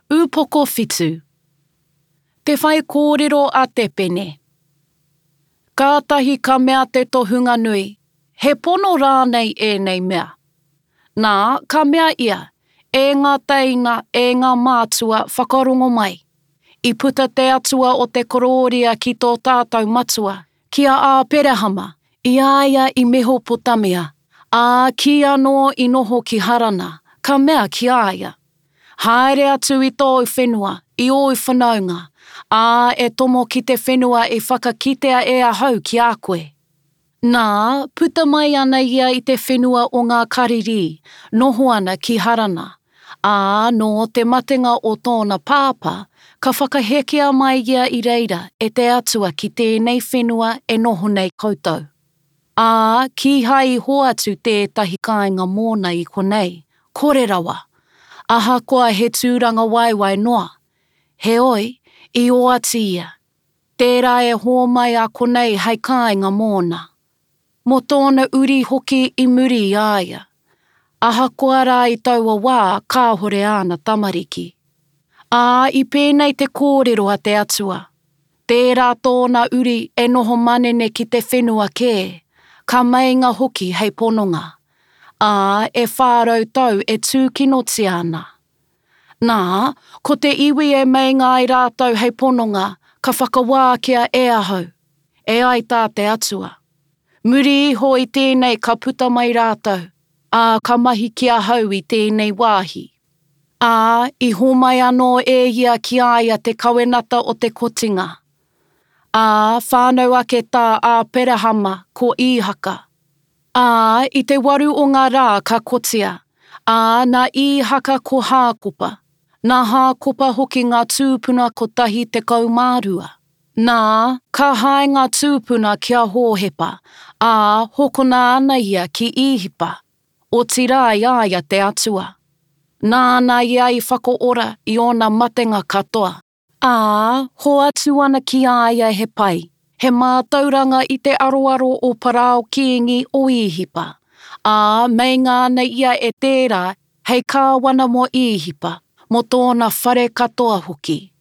Ūpoko 7. Te whaikōrero a Te Pene. Kātahi ka mea te tohunga nui, He pono rānei ēnei mea? Nā, ka mea ia, E ngā teina, e ngā mātua, whakarongo mai. I puta te Atua o te korōria ki tō tātou matua, ki a Āperahama, i a ia i Mehopotamia, ā, kīanō i noho ki Harana, ka mea ki a ia, Haere atu i tōu whenua, i ōu whanaunga, ā, e tomo ki te whenua i whakakitea e ahau ki a koe. Nā, puta mai ana ia i te whenua o ngā Karirī, noho ana ki Harana. Ā, nō te matenga o tōna pāpā, ka whakahekea mai ia i reira e te Atua ki tēnei whenua e noho nei koutou. Ā, kīhai i hoatu tētahi kāinga mōna i konei, kore rawa, ahakoa he tūrangawaewae noa. Heoi, i oati ia, Tērā e hōmai a konei hei kāinga mōna. Mō tōna uri hoki i muri i a ia. Ahakoa rā i taua wā kāhore āna tamariki. Ā, i pēnei te kōrero a te Atua, Tērā tōna uri e noho manene ki te whenua kē, ka meinga hoki hei pononga. Ā, e 400 tau e tūkinotia ana. Nā, ko te iwi e meinga ai rātou hei pononga, ka whakawākia e ahau, e ai tā te Atua. Muri iho i tēnei ka puta mai rātou, ā, ka mahi ki ahau i tēnei wāhi. Ā, i hōmai anō e ia ki a ia te kawenata o te kotinga. Ā, whānau ake tā Āperahama ko Īhaka. Ā, i te waru o ngā rā ka kotia, ā, nā Īhaka ko Hākopa, nā Hākopa hoki ngā tūpuna 12. Nā, ka hae ngā tūpuna ki a Hōhepa, ā, hokona ana ia ki Īhipa, otirā i a ia te Atua. Nāna ia i whakaora i ōna matenga katoa. Ā, hoatu ana ki a ia he pai, he mātauranga i te aroaro o Parao kīngi o Īhipa, ā, meinga ana ia e tērā hei kāwana mō Īhipa, mō tōna whare katoa hoki.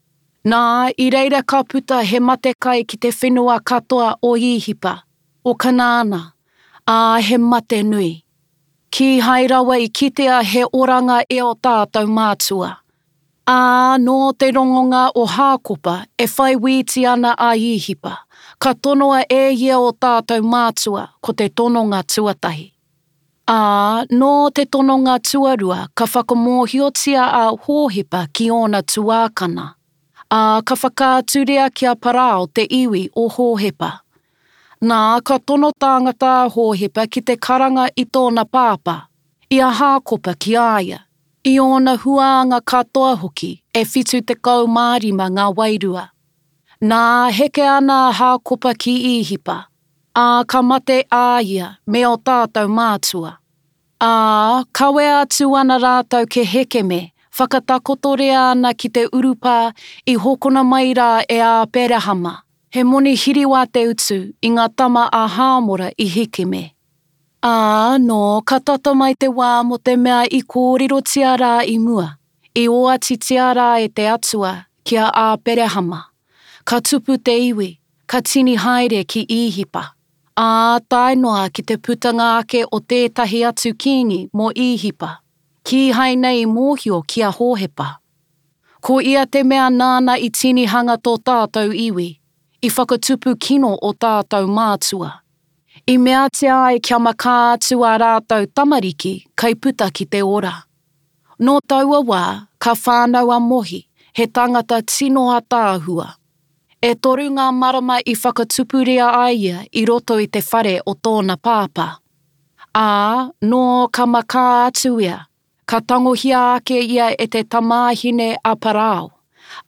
Nā, i reira ka puta he matekai ki te whenua katoa o Īhipa, o Kanaana, ā, he mate nui. Kīhai rawa i kitea he oranga e ō tātou mātua. Ā, nō te rongonga o Hākopa e whai wīti ana a Īhipa, ka tonoa e ia ō tātou mātua ko te tononga tuatahi. Ā, nō te tononga tuarua ka whakamōhiotia a Hōhepa ki ōna tuākana, ā, ka whakaaturia ki a Parao te iwi o Hōhepa. Nā, ka tono tāngata a Hōhepa ki te karanga i tōna pāpā, i a Hākopa ki a ia, I ōna huānga katoa hoki e 75 ngā wairua. Nā, heke ana a Hākopa ki Īhipa, ā, ka mate a ia me ō tātou mātua. Ā, kawea atu ana rātou ki Hekeme, whakatakotoria ana ki te urupā i hokona mai rā e Āperahama, he moni hiriwa te utu i ngā tama a Hāmora i Hekeme. Ā, nō, ka tata mai te wā mō te mea i kōrerotia rā i mua, i oatitia rā e te Atua ki a Āperahama, ka tupu te iwi, ka tini haere ki Īhipa, ā, tae noa ki te putanga ake o tētahi atu kīngi mō Īhipa, kīhai nei i mōhio ki a Hōhepa. Ko ia te mea nāna i tinihanga tō tātou iwi, i whakatupu kino ō tātou mātua. I meatia ai kia makā atu ā rātou tamariki kai puta ki te ora. Nō taua wā, ka whānau a Mohi, he tangata tino ataahua. E toru ngā marama i whakatupuria ai ia i roto i te whare o tōna pāpā. Ā, nō ka makā atu ia, ka tangohia ake ia e te tamāhine a Parao,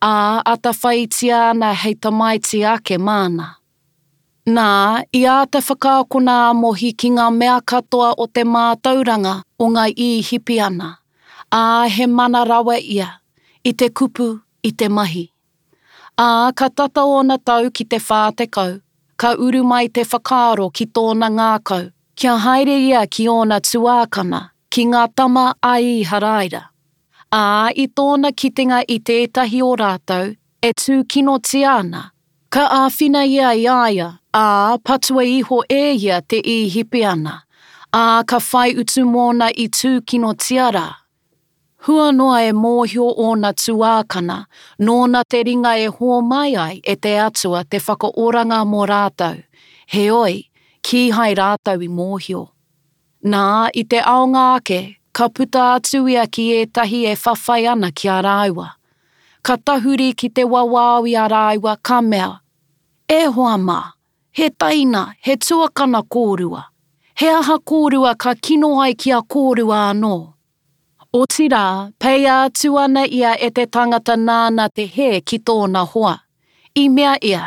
ā, atawhaitia ana hei tamaiti ake māna. Nā, i āta whakaakona a Mohi ki ngā mea katoa o te mātauranga o ngā Īhipiana, ā, he mana rawa ia, i te kupu, i te mahi. Ā, ka tata ōna tau ki te 40, ka uru mai te whakaaro ki tōna ngākau, kia haere ia ki ōna tuākana, ki ngā tama a Īharaira. Ā, i tōna kitenga i tētahi o rātou e tūkinotia ana, ka āwhina ia i a ia, ā, patua iho e ia te Īhipiana, ā, ka whai utu mōna i tūkinotia rā. Hua noa e mōhio ōna tuākana, nōna te ringa e hōmai ai e te Atua te whakaoranga mō rātou, heoi, kīhai rātou i mōhio. Nā, i te aonga ake, ka puta atu ia ki ētahi e whawhai ana ki a rāua. Ka tahuri ki te wawao i a rāua, ka mea, E hoa mā, he taina, he tuakana kōrua. He aha kōrua ka kino ai ki a kōrua anō? Otirā, peia atu ana ia e te tangata nāna te hē ki tōna hoa. I mea ia,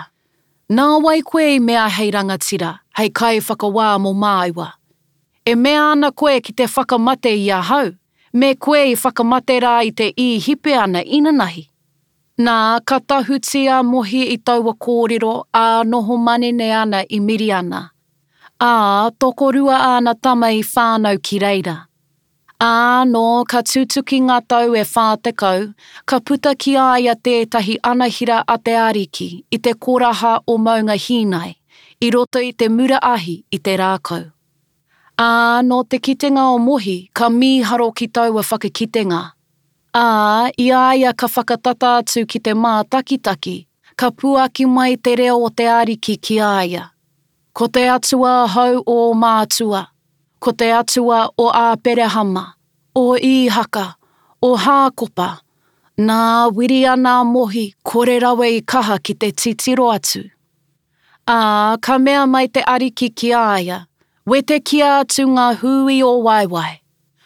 Nā wai koe i mea hei rangatira, hei kaiwhakawā mō māua? E mea ana koe ki te whakamate i ahau, me koe i whakamate rā i te Īhipeana inanahi? Nā, ka tahuti a Mohi i taua kōrero, ā, noho manene ana i Miriana. Ā, tokorua āna tama i whānau ki reira. Ā, nō ka tutuki ngā tau e 40, ka puta ki a ia tētahi anahira a te Ariki i te koraha o Maunga Hīnai, i roto i te mura ahi i te rākau. Ā, nō te kitenga o Mohi, ka mīharo ki taua whakakitenga. Ā, i a ia ka whakatata atu ki te mātakitaki, ka puaki mai te reo o te Ariki ki a ia. Ko te Atua ahau o ō mātua, ko te Atua o Āperehama, o Īhaka, o Hākopa. Nā, wiri ana a Mohi, kore rawa i kaha ki te titiro atu. Ā, ka mea mai te Ariki ki a ia, Wetekia atu ngā hū i ō waewae,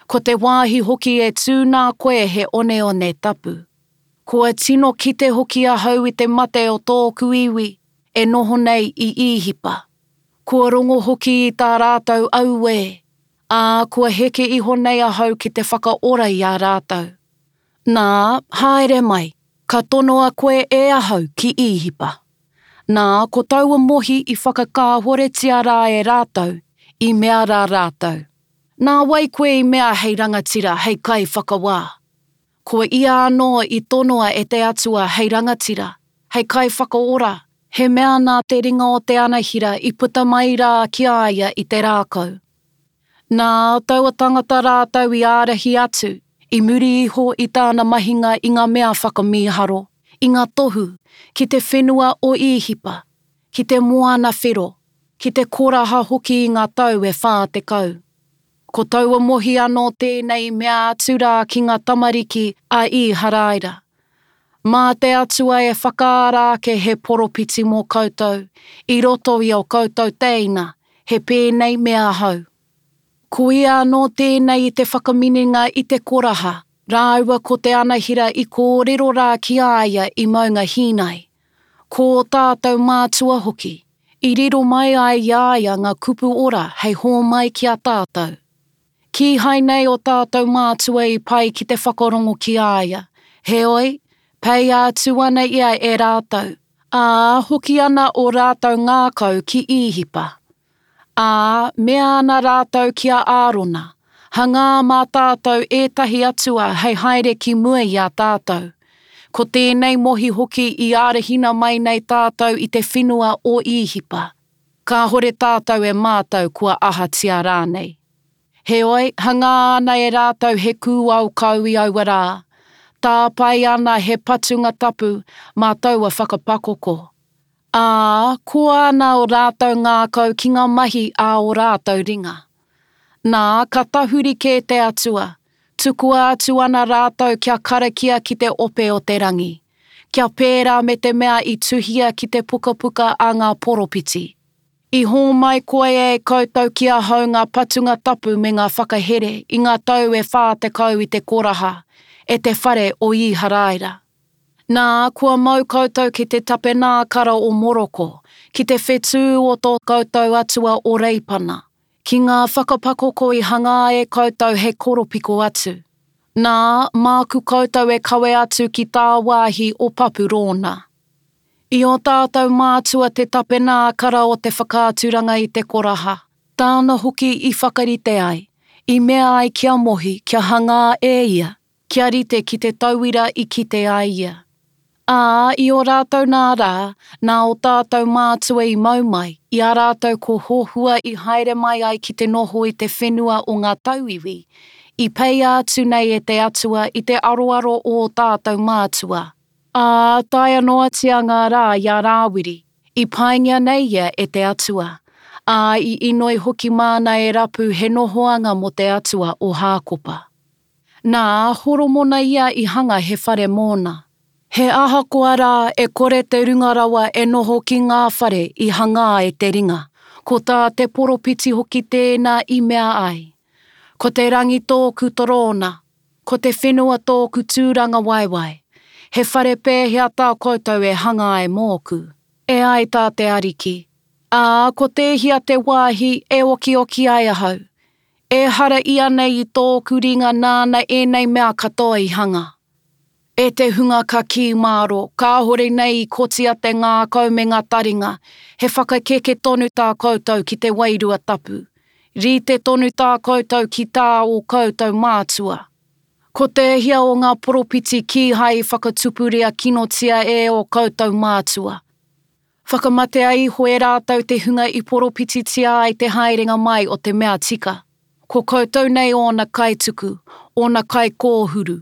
ko te wāhi hoki e tū nā koe he oneone tapu. Kua tino kite hoki ahau i te mate o tōku iwi e noho nei i Īhipa. Kua rongo hoki i tā rātou auē, ā, kua heke iho nei ahau ki te whakaora i a rātou. Nā, haere mai, ka tonoa koe e ahau ki Īhipa. Nā, ko taua Mohi i whakakāhoretia rā e rātou, i mea rā rātou, Nā wai koe i mea hei rangatira, hei kaiwhakawā? Ko ia anō i tonoa e te Atua hei rangatira, hei kaiwhakaora, he mea nā te ringa o te anahira i puta mai rā ki a ia i te rākau. Nā taua tangata rātou i ārahi atu, i muri iho i tāna mahinga i ngā mea whakamīharo, i ngā tohu, ki te whenua o Īhipa, ki te Moana Whero, ki te koraha hoki i ngā tau e 40. Ko taua Mohi anō tēnei i mea atu rā ki ngā tamariki a Īharaira, Mā te Atua e whakaara ake he poropiti mō koutou i roto i ō koutou tēina, he pēnei me ahau. Ko ia anō tēnei i te whakaminenga i te koraha, rāua ko te anahira i kōrero rā ki a ia i Maunga Hīnai. Ko ō tātou mātua hoki, i riro mai ai i a ia ngā kupu ora hei hōmai ki a tātou. Kīhai nei ō tātou mātua i pai ki te whakarongo ki a ia, heoi, peia atu ana ia e rātou, ā, hoki ana ō rātou ngākau ki Īhipa. Ā, mea ana rātou ki a Ārona, Hangā mā tātou ētahi atua hei haere ki mua i a tātou. Ko tēnei Mohi hoki i ārahina mai nei tātou i te whenua o Īhipa. Kāhore tātou e mātau kua ahatia rānei. Heoi, hangā ana e rātou he kūao kau i aua rā, tāpae ana he patunga tapu mā taua whakapakoko. Ā, koa ana ō rātou ngākau ki ngā mahi a ō rātou ringa. Nā, ka tahuri kē te Atua, tukua atu ana rātou kia karakia ki te ope o te rangi, kia pērā me te mea i tuhia ki te pukapuka a ngā poropiti. I hōmai koe e koutou ki ahau ngā patunga tapu me ngā whakahere i ngā tau e 40 i te koraha, e te whare o Īharaira. Nā, kua mau koutou ki te tapenākara o Moroko, ki te whetū o tō koutou atua o Reipana, ki ngā whakapakoko i hangā e koutou hei koropiko atu. Nā, māku koutou e kawe atu ki tāwāhi o Papurōna. I ō tātou mātua te tapenākara o te whakaaturanga i te koraha, tāna hoki i whakarite ai, i mea ai ki a Mohi kia hangā e ia. kia rite ki te tauira i kite ai ia. Ā, i ō rātou nā rā, nā ō tātou mātua i mau mai, i a rātou ko Hohua i haere mai ai ki te noho i te whenua o ngā tauiwi, i peia atu nei e te Atua i te aroaro o ō tātou mātua, ā, taea noatia ngā rā i a Rāwiri, i paingia nei ia e te Atua, ā, i inoi hoki māna e rapu he nohoanga mō te Atua o Hākopa. Nā Horomona ia i hanga he whare mōna. He ahakoa rā e kore te Runga Rawa e noho ki ngā whare i hangā e te ringa, ko tā te poropiti hoki tēnā i mea ai, Ko te rangi tōku torōna, ko te whenua tōku tūrangawaewae, he whare pēhea tā koutou e hanga ai mōku? E ai tā te Ariki, Ā, ko tēhea te wāhi e okioki ai ahau? Ehara ianei i tōku ringa nāna ēnei mea katoa i hanga? E te hunga kakī mārō, kāhore nei i kotia te ngākau me ngā taringa, he whakakeke tonu tā koutou ki te Wairua Tapu. Rite tonu tā koutou ki tā ō koutou mātua. Ko tēhea o ngā poropiti kīhai i whakatupuria kinotia e ō koutou mātua? Whakamatea iho e rātou te hunga i poropititia ai te haerenga mai o te mea tika. Ko koutou nei ōna kaituku, ōna kaikōhuru.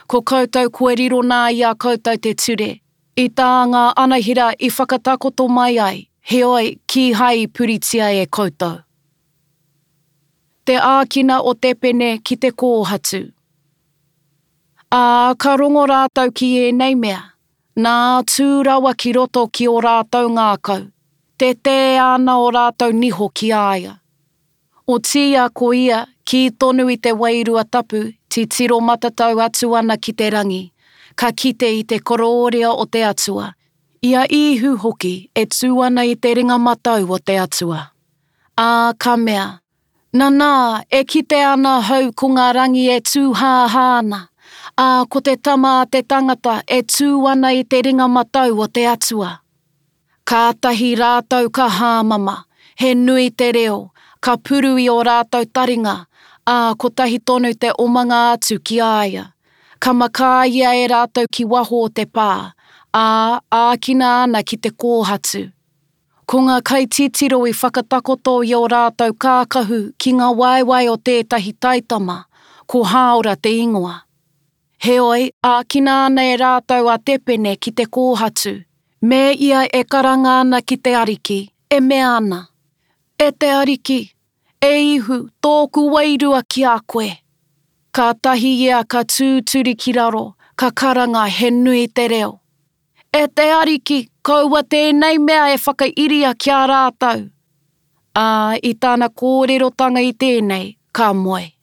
Ko koutou kua riro nā i a koutou te ture, i tā ngā anahera i whakatakoto mai ai, heoi, kīhai i puritia e koutou. Te ākina o Tepene ki te kōhatu. Ā, ka rongo rātou ki ēnei mea, Nā, tū rawa ki roto ki ō rātou ngākau, tetē ana ō rātou niho ki a ia. Otiia ko ia, kī tonu i te Wairua Tapu, titiro matatau atu ana ki te rangi, ka kite i te korōria o te Atua, i a Īhu hoki e tū ana i te ringa matau o te Atua. Ā, ka mea, Nanā, e kite ana ahau ko ngā rangi e tūhāhā ana, ā, ko te Tama a te Tangata e tū ana i te ringa matau o te Atua. Kātahi rātou ka hāmama, he nui te reo, ka puru i ō rātou taringa, ā, kotahi tonu te omanga atu ki a ia. Ka makā ia e rātou ki waho o te pā, ā, ākina ana ki te kōhatu. Ko ngā kaititiro i whakatakoto i ō rātou kākahu ki ngā waewae o tētahi taitama, ko Hāora te ingoa. Heoi, ākina ana e rātou a Tepene ki te kōhatu, me ia e karanga ana ki te Ariki, e mea ana, E te Ariki, e Ihu, tōku wairua ki a koe! Kātahi ia ka tūturi ki raro, ka karanga he nui te reo. E te Ariki, kaua tēnei mea e whakairia ki a rātou. Ā, i tana kōrerotanga i tēnei, ka moe.